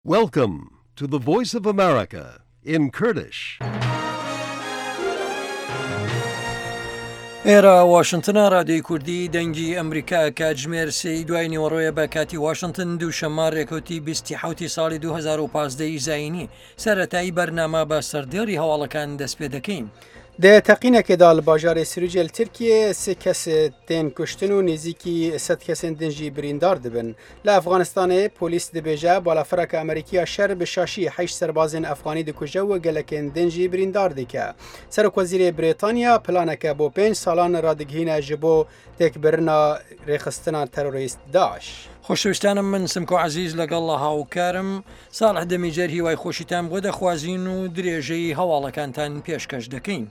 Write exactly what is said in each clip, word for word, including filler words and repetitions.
Welcome to the Voice of America in Kurdish. ئێرە واشنتنە، رادیۆی کوردی دەنگی ئەمریکا. کاتژمێر سێی دوای نیوەڕۆیە بە کاتی واشنتن، دووشەممە رێکەوتی بیستی حوتی ساڵی دوو هەزار و پازدە زایینی. سەرەتایی بەرنامە بە سەردێڕی هەواڵەکان دەست پێ دەکەین. Di teqînekê de li bajarê Sirûcê li Tirkiyê sê kes tên kuştin û nêzîkî sed kesên din jî birîndar dibin. Li Efxanistanê polîs dibêje balafireke Amerîkî ya şer bi şaşî heşt serbazên Efxanî dikuje û gelekên din jî birîndar dike. Serokwezîrê Brîtanya planeke bo pênc salan radigihîne ji bo têkbirina rêxistina terorîst Daîş. خۆشەویستانم، من سمکۆ عەزیز لەگەڵ هاوکارم ساڵح دەمیجەر هیوای خۆشیتان بۆ دەخوازین و درێژەی هەواڵەکانتان پێشکەش دەکەین.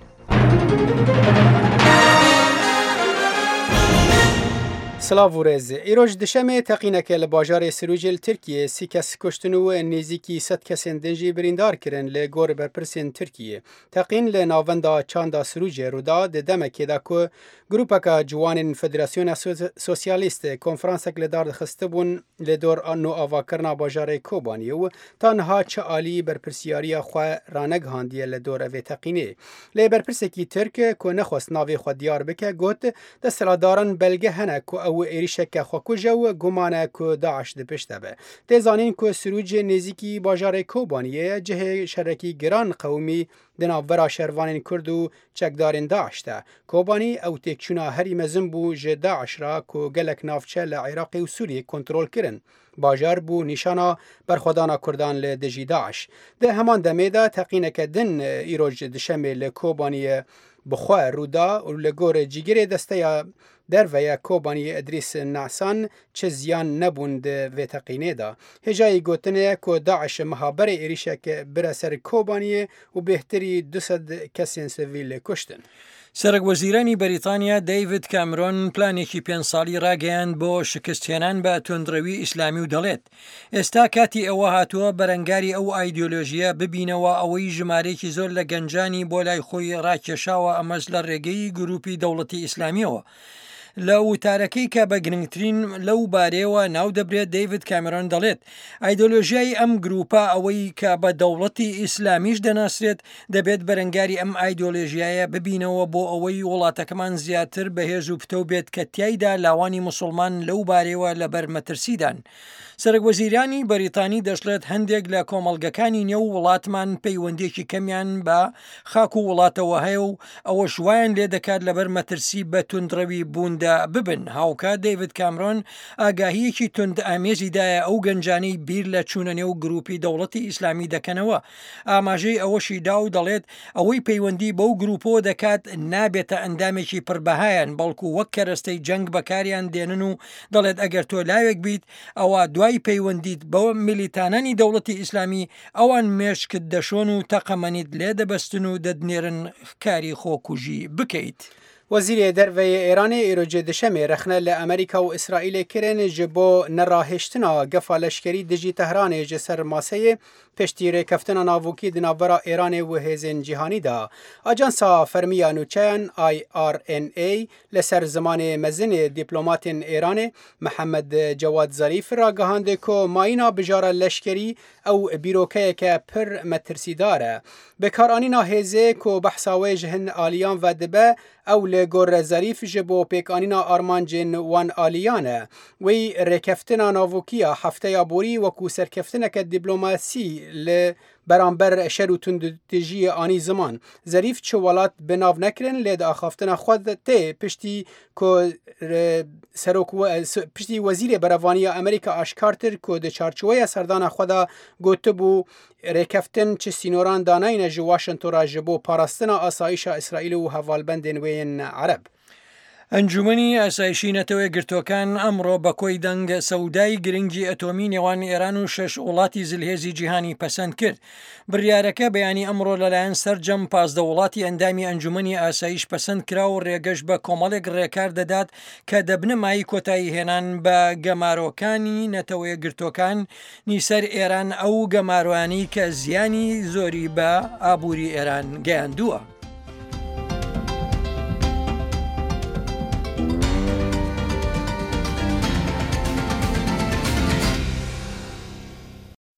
Silav û rêz. Îroj duşemê teqîneke li bajarê Sirûcê li Tirkiyê sî kes kuştin û nêzîkî sed kesên din jî birîndar kirin li gor berpirsên Tirkiyê. Teqîn li navenda çanda Sirûcê rûda di demekê de ku grûpeke ciwanên Federasyona Sosyalîst konferansek li dar dixistibûn li dor nû avakirina bajarê Kobaniyê û ta niha çi alî berpirsiyariya xwe ranegihandiye li dor evê teqînê. Lê berpirsekî Tirk ku nexwest navê xwe diyar bike got desthilatdaran belge hene ku ew êrişeke xwekuje û guman e ku Daîş di pişt de be. Tê zanîn ku Sirûcê nêzîkî bajarê Kobaniyê ye, cihê şerekî giran qewimî di navbera şervanên Kurd û çekdarên Daîş de. Kobanî ew têkçûna herî mezin bû ji Daîş re ku gelek navçe li Iraqê û Sûriyê kontrol kirin. Bajar bû nîşana berxwedana Kurdan li dijî Daîş. Di heman demê de teqîneke din îroj duşemê li Kobaniyê bi xwe rûda û li gor cîgirê desteya derve Kobaniyê Îdrîs Nasan çi ziyan nebûn di vê teqînê de. Hêjayî gotinê ye ku Daîş meha berê êrişek bire ser Kobaniyê û bêhtirî du sed kesên sivîl kuştin. سەرۆک وەزیرانی بەریتانیا دەیڤد کامرۆن پلانێکی پێنج ساڵی ڕاگەیاند بۆ شکستهێنان بە توندڕەوی ئیسلامی و دەڵێت ئێستا کاتی ئەوە هاتووە بەرەنگاری ئەو ئایدیۆلۆژیە ببینەوە ئەوەی ژمارەیەکی زۆر لە گەنجانی بۆ لای خۆی ڕاکێشاوە، ئەمەش لە ڕێگەی گروپی دەوڵەتی ئیسلامیەوە. لە وتارەکەی کە بە گرنگترین لەو بارەیەوە ناو دەبرێت، دەیڤد کامرۆن دەڵێت ئایدۆلۆژیای ئەم گروپە ئەوەی کە بە دەوڵەتی ئیسلامیش دەناسرێت، دەبێت بەرەنگاری ئەم ئایدۆلۆژیایە ببینەوە بۆ ئەوەی وڵاتەکەمان زیاتر بەهێز و پتەو بێت کە تیایدا لاوانی مسلمان لەو بارەیەوە لەبەر مەترسیدان. سەرۆک وەزیرانی بەریتانی دەشڵێت هەندێک لە کۆمەڵگەکانی نێو وڵاتمان پەیوەندیەکی کەمیان بە خاک و وڵاتەوە هەیە و ئەوەش وایان لێ دەکات لەبەر مەترسی بە توندڕەوی بووندا ببن. هاوکات دەیڤد کامرۆن ئاگاهیەکی تند ئامێزی دایە ئەو گەنجانەی بیر لە چوونە نێو گروپی دەوڵەتی ئیسلامی دەکەنەوە. ئاماژەی ئەوەشی دا و دەڵێت ئەوەی پەیوەندی بەو گروپەوە دەکات نابێتە ئەندامێکی پڕبەهایان، بەڵکو وەک کەرەستەی جەنگ بەکاریان دێنن و دەڵێت ئەگەر تۆ لاوێک بیت ئەوە دوای پەیوەندیت بە میلیتانانی دەوڵەتی ئیسلامی ئەوان مێشکت دەشۆن و تەقەمەنیت لێ دەبەستن و دەتنێرن کاری خۆکوژی بکەیت. Wezîrê Derve yê Îranê îro duşemê rexne li Amerîka û Îsraîlê kirin ji bo nerahiştina gefa leşkerî dijî Tehranê ji ser maseyê piştî rêkeftina navokî di navbera Îranê û hêzên cîhanî de. Ajansa fermî ya nûçeyan I R N A li ser zimanê mezinê dîplomatên Îranê Mihemed Cewad Zarîf ragihand ku mayîna bijara leşkerî ew bîrokeyeke pir metirsîdar e. Bikaranîna hêzê ku behsa wê ji hin aliyan ve dibe ew li gor Zarîf ji bo pêkanîna armancên wan aliyan e. Wî rêkeftina navokiya hefteya borî wekû serkeftineke dîplomasî li beramber şer û tundûtûjiyê anî ziman. Zerîf çi welat bi nav nekirin lê di axaftina xwe tê piştî ku serok piştî wezîrê berevaniya Amerîka aşkar kir ku di çarçoveya serdana xwe de gotibû rêkeftin çi sînoran danayne ji Washington re ji bo parastina asayîşa Îsraîlê û hevalbendên wê yên Ereb. ئەنجومەنی ئاسایشی نەتەوە یەکگرتووەکان ئەمڕۆ بە کۆی دەنگ سەودای گرنگی ئەتۆمی نێوان ئێران و شەش وڵاتی زلهێزی جیهانی پەسەند کرد. بڕیارەکە بەیانی ئەمڕۆ لەلایەن سەرجەم پازدە وڵاتی ئەندامی ئەنجومەنی ئاسایش پەسەند کرا و ڕێگەش بە کۆمەڵێک ڕێکار دەدات کە دەبنە مایەی کۆتایی هێنان بە گەمارۆکانی نەتەوە یەکگرتووەکانی سەر ئێران، ئەو گەمارۆیانەی کە زیانی زۆری بە ئابووری ئێران گەیاندووە.